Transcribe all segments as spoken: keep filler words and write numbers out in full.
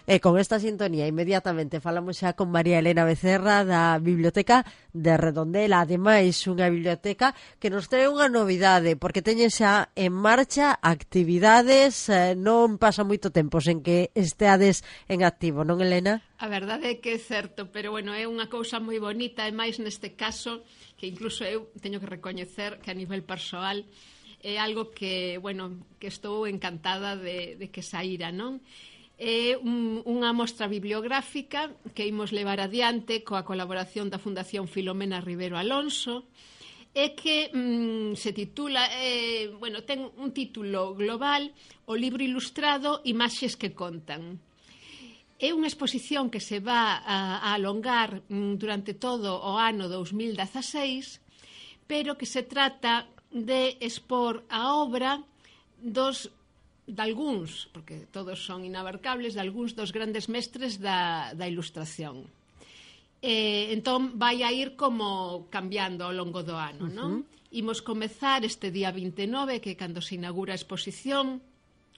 E con esta sintonía inmediatamente falamos xa con María Elena Becerra da Biblioteca de Redondela. Ademais, unha biblioteca que nos trae unha novidade, porque teñen xa en marcha actividades, eh, non pasa moito tempo sen que esteades en activo, non, Elena? A verdade é que é certo, pero bueno, é unha cousa moi bonita, e máis neste caso, que incluso eu teño que recoñecer que a nivel persoal é algo que, bueno, que estou encantada de, de que saíra, non? É un, unha mostra bibliográfica que imos levar adiante coa colaboración da Fundación Filomena Rivero Alonso, e que mm, se titula, eh, bueno, ten un título global, o libro ilustrado Imaxes que contan. É unha exposición que se va a, a alongar mm, durante todo o ano dous mil dezaseis, pero que se trata de expor a obra dos de algúns, porque todos son inabarcables, de algúns dos grandes mestres da, da ilustración. Eh, entón, vai a ir como cambiando ao longo do ano, non? Uh-huh. Imos comezar este día vinte e nove, que é cando se inaugura a exposición,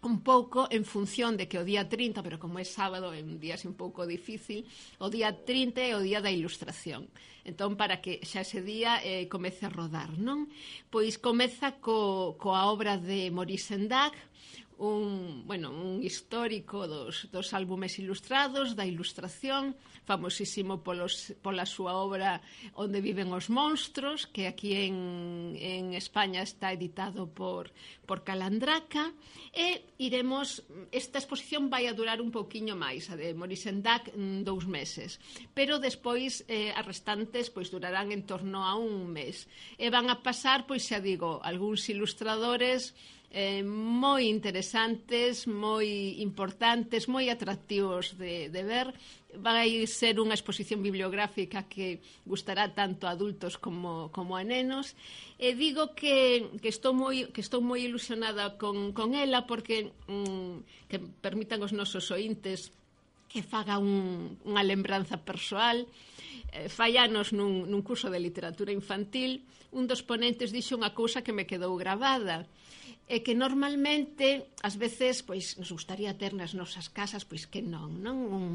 un pouco en función de que o día trinta, pero como é sábado é un día así un pouco difícil, o día trinta é o día da ilustración. Entón, para que xa ese día eh, comece a rodar, non? Pois comeza co, coa obra de Maurice Sendak, un, bueno, un histórico dos, dos álbumes ilustrados, da ilustración, famosísimo polos, pola súa obra Onde viven os monstros, que aquí en, en España está editado por, por Calandraca, e iremos, esta exposición vai a durar un pouquiño máis, a de Maurice Sendak, dous meses, pero despois eh, as restantes pois durarán en torno a un mes, e van a pasar, pois xa digo, algúns ilustradores Eh, moi interesantes, moi importantes, moi atractivos de, de ver. Vai ser unha exposición bibliográfica que gustará tanto a adultos como, como a nenos. E digo que, que, estou, moi, que estou moi ilusionada con, con ela porque mm, que permitan os nosos ointes que faga un, unha lembranza persoal. Eh, fai anos nun, nun curso de literatura infantil, un dos ponentes dixo unha cousa que me quedou gravada, é que normalmente, ás veces, pois, nos gustaría ter nas nosas casas, pois que non, non? Un,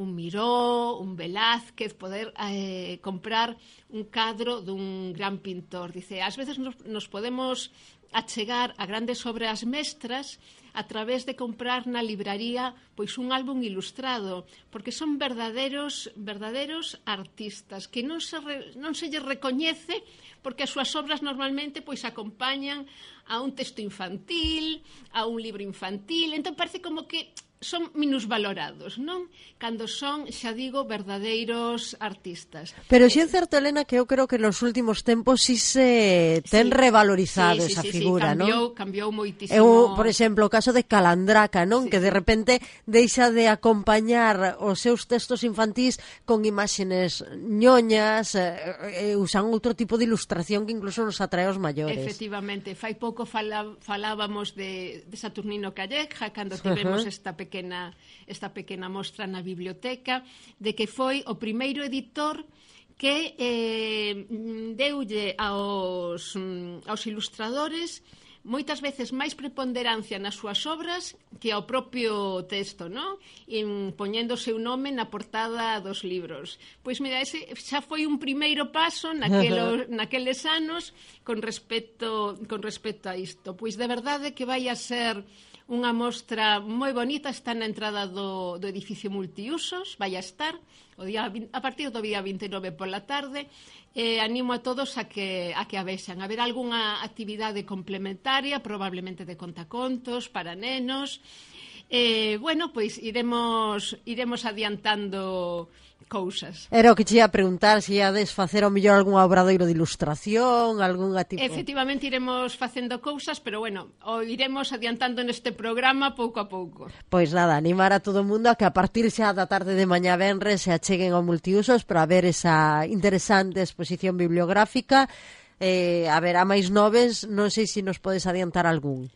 un Miró, un Velázquez, poder eh, comprar un cadro dun gran pintor. Dice, ás veces nos, nos podemos achegar a grandes obras mestras a través de comprar na libraría pois un álbum ilustrado, porque son verdaderos verdaderos artistas que non se, re, non se lle recoñece porque as súas obras normalmente pois acompañan a un texto infantil, a un libro infantil, entón parece como que son minusvalorados, non? Cando son, xa digo, verdadeiros artistas. Pero si é certo, Elena, que eu creo que nos últimos tempos si se ten sí, revalorizado sí, esa sí, figura, sí, cambiou, non? Cambiou moitísimo. Eu, por exemplo, o caso de Calandraca, non? Sí, que de repente deixa de acompañar os seus textos infantís con imágenes ñoñas, eh, usan outro tipo de ilustración que incluso nos atrae aos maiores. Efectivamente, fai pouco fala, falábamos de, de Saturnino Calleja, cando tivemos uh -huh. esta pequena Pequena, esta pequena mostra na biblioteca, de que foi o primeiro editor que eh, deulle aos, aos ilustradores moitas veces máis preponderancia nas súas obras que ao propio texto, non? En, poñendo o seu nome na portada dos libros. Pois mira, ese xa foi un primeiro paso naquelo, naqueles anos con respecto, con respecto a isto. Pois de verdade que vai a ser unha mostra moi bonita, está na entrada do, do edificio multiusos, vai a estar o día, a partir do día vinte e nove pola tarde. Eh, animo a todos a que, a que a vexan. Haberá algunha actividade complementaria, probablemente de contacontos para nenos. Eh, bueno, pois iremos, iremos adiantando cousas. Era o que che ia preguntar, se iades facer ao mellor algún obradoiro de ilustración, algunha tipo... Efectivamente iremos facendo cousas, pero bueno, o iremos adiantando neste programa pouco a pouco. Pois nada, animar a todo o mundo a que a partir xa da tarde de mañá venres se acheguen ao multiusos para ver esa interesante exposición bibliográfica. Eh, a ver, a máis noves, non sei se nos podes adiantar algún.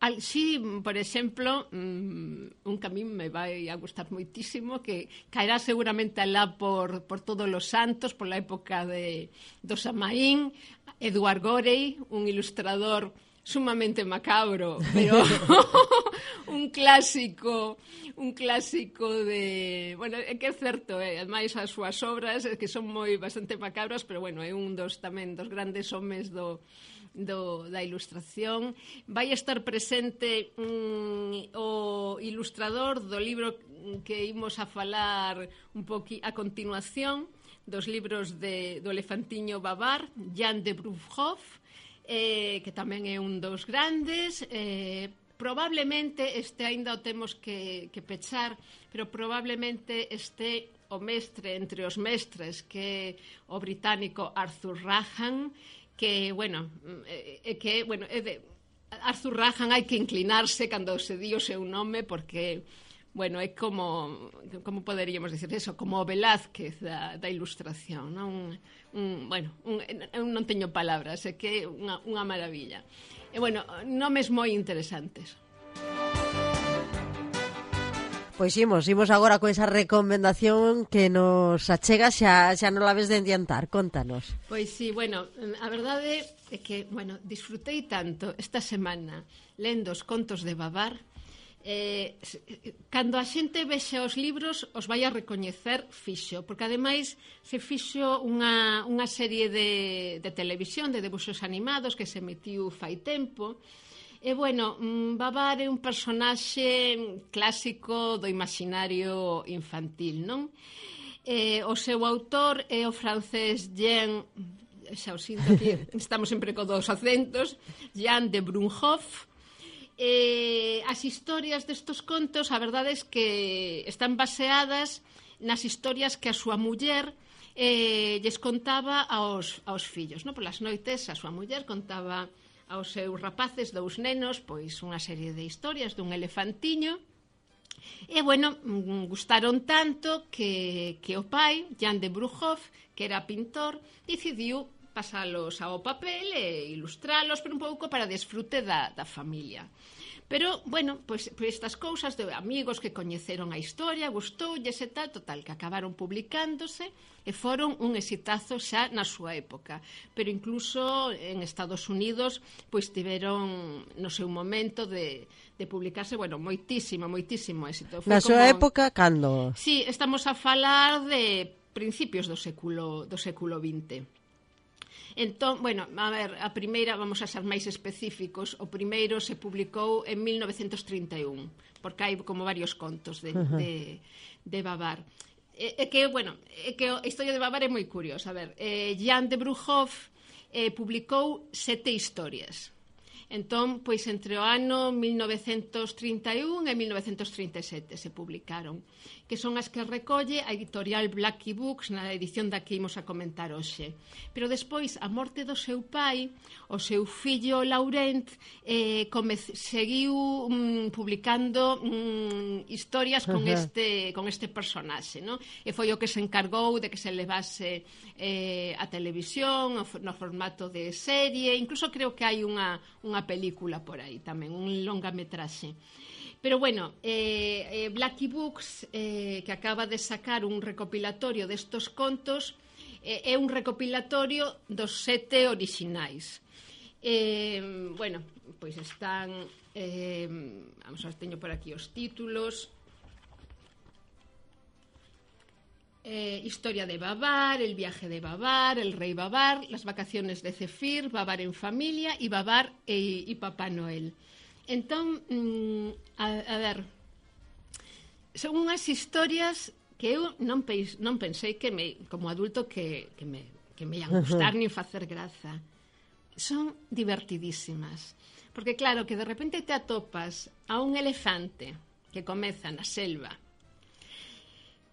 Al, sí, por exemplo, um, un que a mí me vai a gustar moitísimo, que caerá seguramente alá por, por todos os santos, pola época de, do Samaín, Eduard Gorey, un ilustrador sumamente macabro, pero un clásico, un clásico de, bueno, é que é certo, eh, ademais as súas obras que son moi bastante macabras, pero bueno, é un dos tamén dos grandes homes do do, da ilustración. Vai estar presente mm, o ilustrador do libro que imos a falar un poqui a continuación, dos libros de, do elefantiño Babar, Jan de Bruchhoff, eh, que tamén é un dos grandes. Eh, probablemente este aínda o temos que, que pechar, pero probablemente este o mestre entre os mestres, que é o británico Arthur Rahan, que, bueno, é que, bueno, é de Arthur Rahan hai que inclinarse cando se di o seu nome, porque, bueno, é como, como poderíamos dicir eso, como o Velázquez da, da ilustración, non? Un, bueno, un, eu non teño palabras, é que é unha, unha maravilla. E, bueno, nomes moi interesantes. Pois imos, imos agora con esa recomendación que nos achega, xa, xa non la ves de adiantar, contanos. Pois sí, bueno, a verdade é que, bueno, disfrutei tanto esta semana lendo os contos de Babar. Eh, cando a xente vexe os libros os vai a recoñecer fixo, porque ademais se fixo unha, unha serie de, de televisión de debuxos animados que se emitiu fai tempo. E, bueno, Babar é un personaxe clásico do imaginario infantil, non? E, o seu autor é o francés Jean, xa o sinto aquí, estamos sempre con dos acentos, Jan de Bruchhoff. E, as historias destos contos, a verdade é que están baseadas nas historias que a súa muller eh, lles contaba aos, aos fillos, non? Polas noites a súa muller contaba aos seus rapaces, dous nenos, pois unha serie de historias dun elefantiño. E, bueno, gustaron tanto que, que o pai, Jan de Bruchhoff, que era pintor, decidiu pasalos ao papel e ilustralos, pero un pouco para desfrute da, da familia. Pero, bueno, pois, pois estas cousas de amigos que coñeceron a historia, gustoulles e tal, total, que acabaron publicándose e foron un exitazo xa na súa época. Pero incluso en Estados Unidos, pois tiveron no seu momento de, de publicarse, bueno, moitísimo, moitísimo éxito. Foi na súa como... época, cando? Sí, estamos a falar de principios do século, do século vinte. Entón, bueno, a ver, a primeira, vamos a ser máis específicos, o primeiro se publicou en mil novecentos trinta e un, porque hai como varios contos de, uh -huh. de, de Babar. É, é que, bueno, é que a historia de Babar é moi curiosa. A ver, eh, Jan de Bruchhoff eh, publicou sete historias. Entón, pois entre o ano mil novecentos trinta e un e mil novecentos trinta e sete se publicaron, que son as que recolle a editorial Blackie Books na edición da que imos a comentar hoxe. Pero despois, a morte do seu pai, o seu fillo Laurent eh, seguiu mm, publicando mm, historias con, uh -huh. este, con este personaxe, ¿no? E foi o que se encargou de que se levase eh, a televisión no formato de serie, incluso creo que hai unha, unha película por aí tamén, un longametraxe. Pero bueno, eh, eh, Blackie Books, eh, que acaba de sacar un recopilatorio destos contos, eh, é un recopilatorio dos sete orixinais. Eh, bueno, pois están, eh, vamos a ver, teño por aquí os títulos. Eh, historia de Babar, el viaje de Babar, el rey Babar, las vacaciones de Zefir, Babar en familia y Babar e, y Papá Noel. Entón, mm, a, a ver, son unhas historias que eu non, pens, non pensei que me, como adulto que, que me, que me ian gustar nin facer graza. Son divertidísimas, porque claro, que de repente te atopas a un elefante que comeza na selva,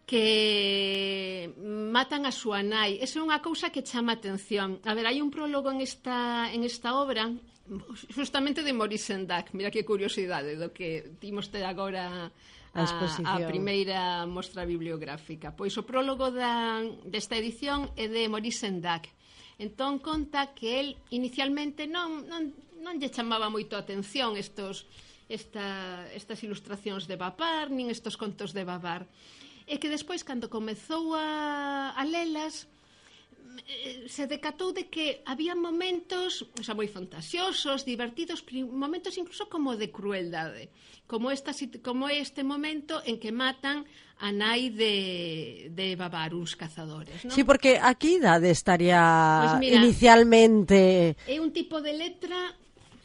que matan a súa nai. Esa é unha cousa que chama atención. A ver, hai un prólogo en esta, en esta obra justamente de Maurice Sendak. Mira que curiosidade do que timos ter agora a, a primeira mostra bibliográfica. Pois o prólogo da, desta edición é de Maurice Sendak. Entón conta que el inicialmente non, non, non lle chamaba moito a atención estos, esta, estas ilustracións de Babar, nin estos contos de Babar. E que despois, cando comezou a, a lelas, se decatou de que había momentos, o sea, moi fantasiosos, divertidos, momentos incluso como de crueldade, como esta como este momento en que matan a nai de, de Babar, uns cazadores, ¿no? Sí, porque a que idade estaría pues mira, inicialmente? É un tipo de letra,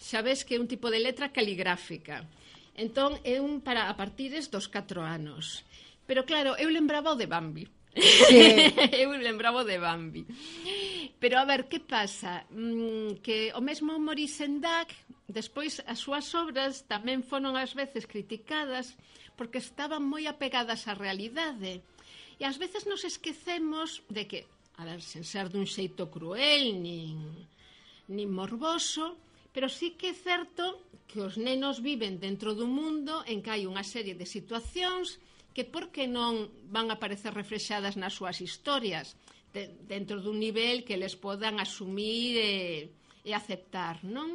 xa ves que é un tipo de letra caligráfica. Entón, é un para a partires dos catro anos. Pero claro, eu lembraba o de Bambi. Sí. Eu lembraba de Bambi. Pero a ver, que pasa? Mm, que o mesmo Maurice Sendak, despois as súas obras tamén foron ás veces criticadas porque estaban moi apegadas á realidade. E ás veces nos esquecemos de que, a ver, sen ser dun xeito cruel nin, nin morboso, pero sí que é certo que os nenos viven dentro dun mundo en que hai unha serie de situacións que por que non van a aparecer reflexadas nas súas historias de, dentro dun nivel que les podan asumir e, e aceptar, non?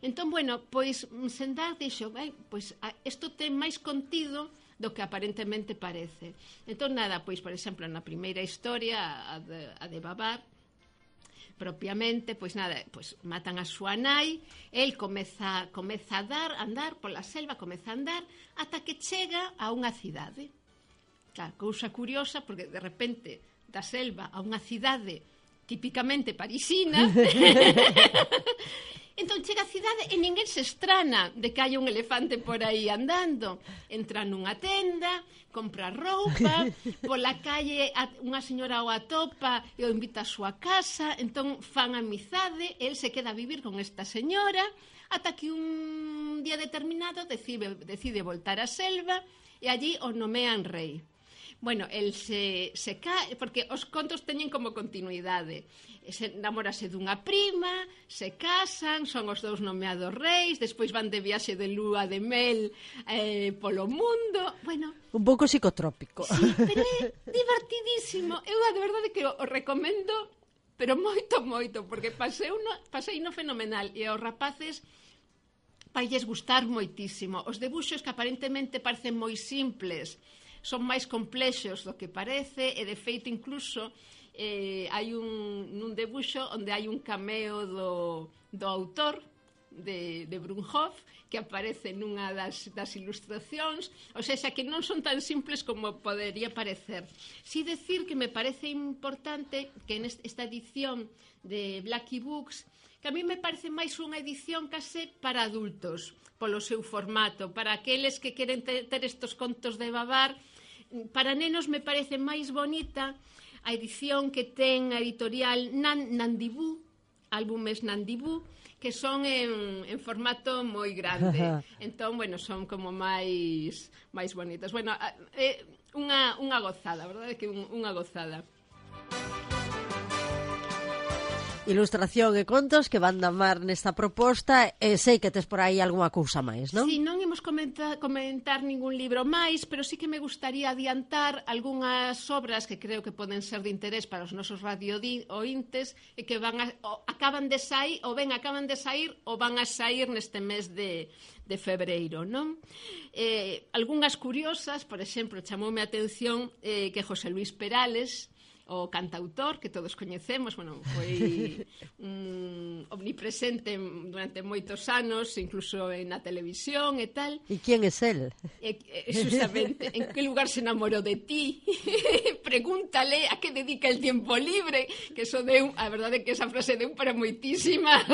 Entón, bueno, pois Sendak dixo, ben, pois isto ten máis contido do que aparentemente parece. Entón, nada, pois, por exemplo, na primeira historia, a de, a de Babar, propiamente, pois nada, pois matan a súa nai, el comeza, comeza a dar, andar pola selva, comeza a andar, ata que chega a unha cidade. Claro, cousa curiosa, porque de repente da selva a unha cidade típicamente parisina, entón chega a cidade e ninguén se estrana de que hai un elefante por aí andando. Entra nunha tenda, compra roupa, pola calle unha señora o atopa e o invita a súa casa, entón fan amizade, el se queda a vivir con esta señora, ata que un día determinado decide, decide voltar á selva e allí o nomean rei. Bueno, el se, se cae, porque os contos teñen como continuidade. Se namorase dunha prima, se casan, son os dous nomeados reis, despois van de viaxe de lúa de mel eh, polo mundo. Bueno, un pouco psicotrópico. Sí, pero é divertidísimo. Eu, de verdade, que o, o recomendo, pero moito, moito, porque pasei no, pasei no fenomenal. E aos rapaces vai lles gustar moitísimo. Os debuxos que aparentemente parecen moi simples son máis complexos do que parece, e de feito incluso eh, hai un, un debuxo onde hai un cameo do, do autor de, de Brunhoff que aparece nunha das, das ilustracións, ou seja, que non son tan simples como podería parecer. Si decir que me parece importante que en esta edición de Blackie Books, que a mí me parece máis unha edición case para adultos, polo seu formato, para aqueles que queren ter, ter estos contos de Babar. Para nenos me parece máis bonita a edición que ten a editorial Nan, Nandibú, álbumes Nandibú, que son en, en formato moi grande. Entón, bueno, son como máis máis bonitas. Bueno, é unha, unha gozada, verdade? Que un, unha gozada. Ilustración e contos que van damar nesta proposta, e sei que tes por aí algunha cousa máis, non? Si, sí, non imos comentar, comentar ningún libro máis, pero sí que me gustaría adiantar algunhas obras que creo que poden ser de interés para os nosos radio-ointes e que van a, o, acaban de sair, ou ben acaban de sair, ou van a sair neste mes de, de febreiro, non? Eh, algunhas curiosas, por exemplo, chamoume a atención eh, que José Luis Perales, o cantautor que todos coñecemos, bueno, foi um, omnipresente durante moitos anos, incluso na televisión e tal. E quen é el? E, e, justamente, en que lugar se enamorou de ti? Pregúntale a que dedica el tiempo libre, que eso deu, a verdade é que esa frase deu para moitísimas.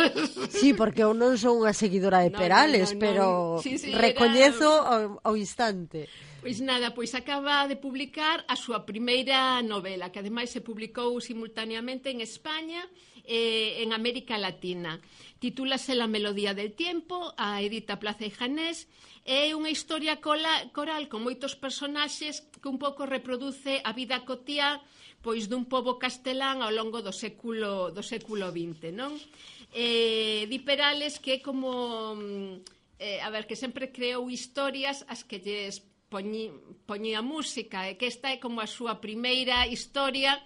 Sí, porque eu non son unha seguidora de Perales, no, no, no, pero no. Sí, sí, recoñezo era... ao, ao instante. Pois nada, pois acaba de publicar a súa primeira novela, que ademais se publicou simultaneamente en España e en América Latina. Titúlase La melodía del tiempo, a edita Plaza y Janés. É unha historia coral con moitos personaxes que un pouco reproduce a vida cotiá pois dun pobo castelán ao longo do século do século vinte, non? Eh, di Perales que é como eh, a ver, que sempre creou historias as que lles Poñi, poñía música, e que esta é como a súa primeira historia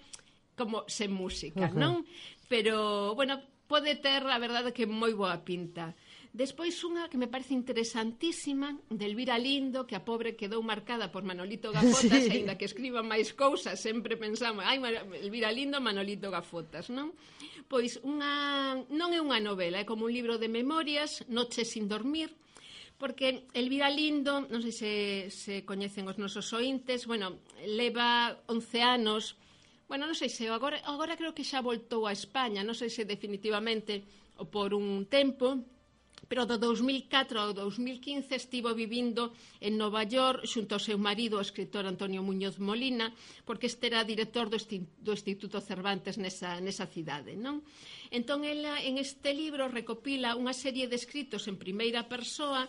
como sen música, uh-huh. non? Pero, bueno, pode ter, a verdade, que moi boa pinta. Despois unha que me parece interesantísima de Elvira Lindo, que a pobre quedou marcada por Manolito Gafotas, sí. Ainda que escriba máis cousas, sempre pensamos, ai, Elvira Lindo, Manolito Gafotas, non? Pois unha, non é unha novela, é como un libro de memorias, Noches sin dormir, porque Elvira Lindo, non sei se, se coñecen os nosos ointes, bueno, leva once anos, bueno, non sei se agora, agora creo que xa voltou a España, non sei se definitivamente ou por un tempo, pero do dous mil catro ao dous mil quince estivo vivindo en Nova York xunto ao seu marido, o escritor Antonio Muñoz Molina, porque este era director do, do Instituto Cervantes nesa, nesa cidade, non? Entón, ela en este libro recopila unha serie de escritos en primeira persoa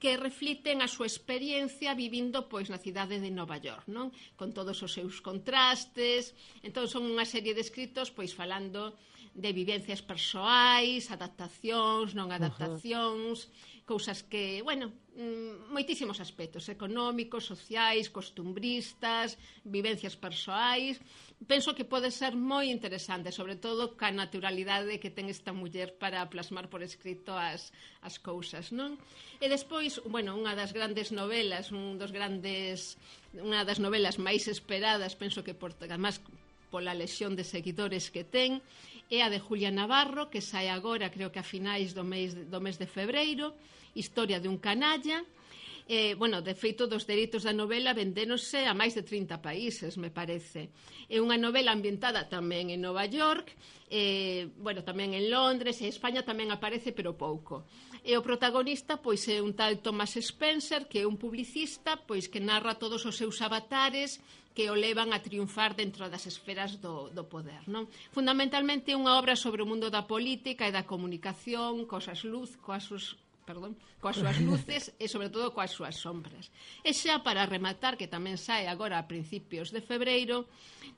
que refliten a súa experiencia vivindo pois na cidade de Nova York, non? Con todos os seus contrastes. Entón, son unha serie de escritos pois falando de vivencias persoais, adaptacións, non adaptacións, uh-huh. Cousas que, bueno, moitísimos aspectos económicos, sociais, costumbristas, vivencias persoais. Penso que pode ser moi interesante, sobre todo ca naturalidade que ten esta muller para plasmar por escrito as, as cousas, non? E despois, bueno, unha das grandes novelas, un dos grandes, unha das novelas máis esperadas, penso que por, además, pola lesión de seguidores que ten, é a de Julia Navarro, que sai agora, creo que a finais do mes, do mes de febreiro, Historia de un canalla. Eh, bueno, de feito, dos dereitos da novela vendéronse a máis de trinta países, me parece. É unha novela ambientada tamén en Nova York, eh, bueno, tamén en Londres, e España tamén aparece, pero pouco. E o protagonista, pois, é un tal Thomas Spencer, que é un publicista, pois, que narra todos os seus avatares que o levan a triunfar dentro das esferas do, do poder, non? Fundamentalmente é unha obra sobre o mundo da política e da comunicación, cosas luz, coas sus, perdón, coas súas luces e sobre todo coas súas sombras. E xa para rematar, que tamén sae agora a principios de febreiro,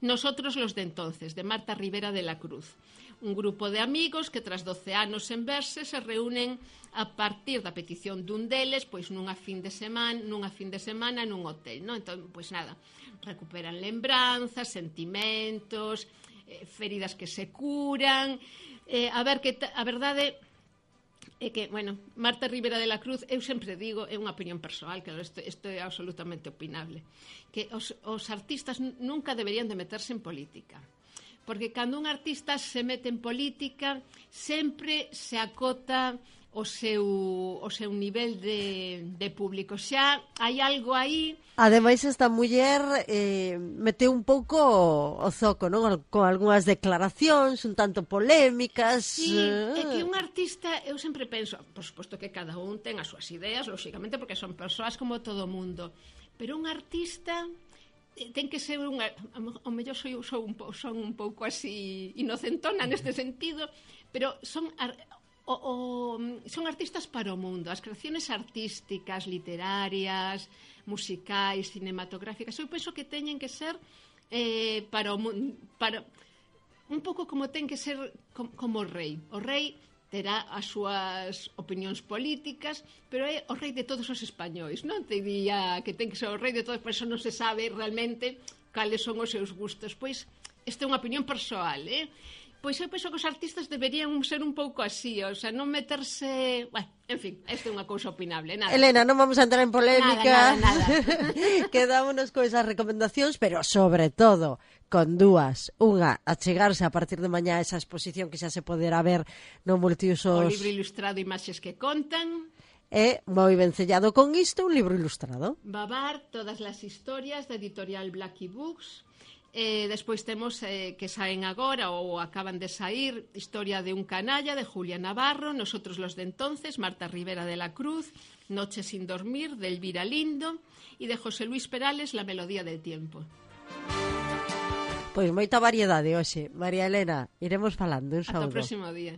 Nosotros los de entonces, de Marta Rivera de la Cruz. Un grupo de amigos que tras doce anos sen verse se reúnen a partir da petición dun deles, pois nunha fin de semana, nunha fin de semana nun hotel, non? Entón, pois nada, recuperan lembranzas, sentimentos, eh, feridas que se curan, eh, a ver que a verdade é que, bueno, Marta Rivera de la Cruz, eu sempre digo, é unha opinión persoal, que isto, isto é absolutamente opinable, que os, os artistas nunca deberían de meterse en política. Porque cando un artista se mete en política sempre se acota o seu, o seu nivel de, de público. Xa hai algo aí. Ademais, esta muller eh, meteu un pouco o zoco, non? Con algunhas declaracións un tanto polémicas. Sí, é que un artista, eu sempre penso, por suposto que cada un ten as súas ideas, lóxicamente, porque son persoas como todo o mundo. Pero un artista ten que ser unha, o mellor sou, sou un, son un pouco así inocentona neste sentido, pero son o, o, son artistas para o mundo, as creaciones artísticas, literarias, musicais, cinematográficas, eu penso que teñen que ser eh, para o mundo, para un pouco como ten que ser como, como o rei. O rei terá as súas opinións políticas, pero é o rei de todos os españois, non te diría que ten que ser o rei de todos, por eso non se sabe realmente cales son os seus gustos. Pois, esta é unha opinión persoal, eh? Pois eu penso que os artistas deberían ser un pouco así, o sea, non meterse... Bueno, en fin, esta é unha cousa opinable, nada. Elena, non vamos a entrar en polémica. Nada, nada, nada. Quedámonos con esas recomendacións, pero sobre todo con dúas. Unha, achegarse a partir de mañá a esa exposición que xa se poderá ver no Multiusos. O libro ilustrado Imaxes que contan. E moi vencellado con isto, un libro ilustrado. Babar, todas as historias da editorial Blackie Books. Eh, despois temos eh, que saen agora ou acaban de sair Historia de un canalla de Julia Navarro, Nosotros los de entonces, Marta Rivera de la Cruz, Noche sin dormir de Elvira Lindo e de José Luis Perales, La melodía del tiempo. Pois moita variedade hoxe. María Elena, iremos falando. Un saúdo. Ata o próximo día.